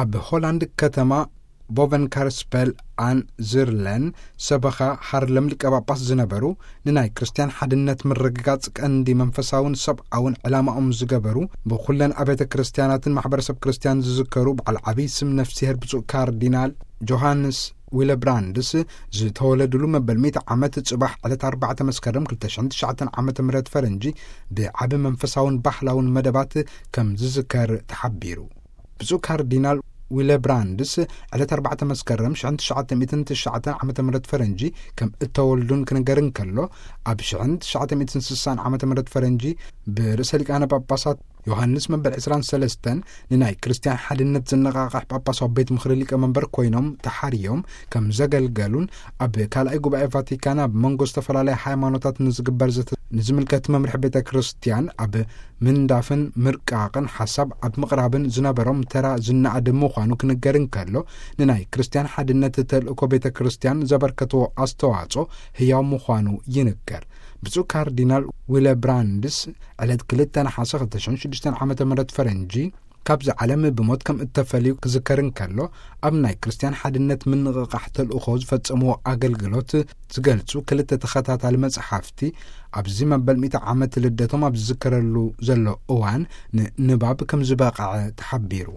ኣብ ሆላንድ ከተማ ቦቨንካርስፐል ኣን ዝርለን ሰበኻ ሃርለም ሊቀ ጳጳስ ዝነበሩ፣ ንናይ ክርስትያን ሓድነት ምርግጋጽ ቀንዲ መንፈሳውን ሰብኣውን ዕላማኦም ዝገበሩ፣ ብኹለን ኣብያተ ክርስትያናትን ማሕበረሰብ ክርስትያን ዝዝከሩ በዓል ዓብዪ ስም ነፍስሄር ብፁዕ ካርዲናል ጆሃንስ ዊለብራንድስ ዝተወለዱሉ መበል ሚእቲ ዓመት ጽባሕ ዕለት ኣርባዕተ መስከረም ክልተ ሽሕን ትሽዓተን ዓመተ ምህረት ፈረንጂ ብዓቢ መንፈሳውን ባህላውን መደባት ከም ዝዝከር ተሓቢሩ። ብፁዕ ካርዲናል ዊለብራንድስ ዕለት ኣርባዕተ መስከረም ሽሕን ትሽዓተ ሚእትን ትሽዓተን ዓመተ ምህረት ፈረንጂ ከም እተወልዱን ክንገር እንከሎ፣ ኣብ ሽሕን ትሽዓተ ሚእትን ስሳን ዓመተ ምህረት ፈረንጂ ብርእሰ ሊቃነ ጳጳሳት ዮሃንስ መበል ዕስራን ሰለስተን ንናይ ክርስትያን ሓድነት ዝነቓቕሕ ጳጳሳዊ ቤት ምኽሪ ሊቀ መንበር ኮይኖም ተሓርዮም ከም ዘገልገሉን፣ ኣብ ካልኣይ ጉባኤ ቫቲካን ኣብ መንጎ ዝተፈላለያ ሃይማኖታት ንዝግበር ዘተ ንዝምልከት መምርሒ ቤተ ክርስትያን ኣብ ምንዳፍን ምርቃቕን ሓሳብ ኣብ ምቕራብን ዝነበሮም ተራ ዝነኣድ ምዃኑ ክንገር እንከሎ፣ ንናይ ክርስትያን ሓድነት ተልእኮ ቤተ ክርስትያን ዘበርከትዎ ኣስተዋጽኦ ህያው ምዃኑ ይንገር። ብፁዕ ካርዲናል ዊለብራንድስ ዕለት ክልተ ነሓሰ ክልተ ሽሕን ሽዱሽተን ዓመተ ምህረት ፈረንጂ ካብዚ ዓለም ብሞት ከም እተፈልዩ ክዝከር እንከሎ፣ ኣብ ናይ ክርስትያን ሓድነት ምንቕቓሕ ተልእኾ ዝፈጸምዎ ኣገልግሎት ዝገልጹ ክልተ ተኸታታሊ መጽሓፍቲ፣ ኣብዚ መበል ሚእቲ ዓመት ልደቶም ኣብ ዝዝከረሉ ዘሎ እዋን ንንባብ ከም ዝበቕዐ ተሓቢሩ።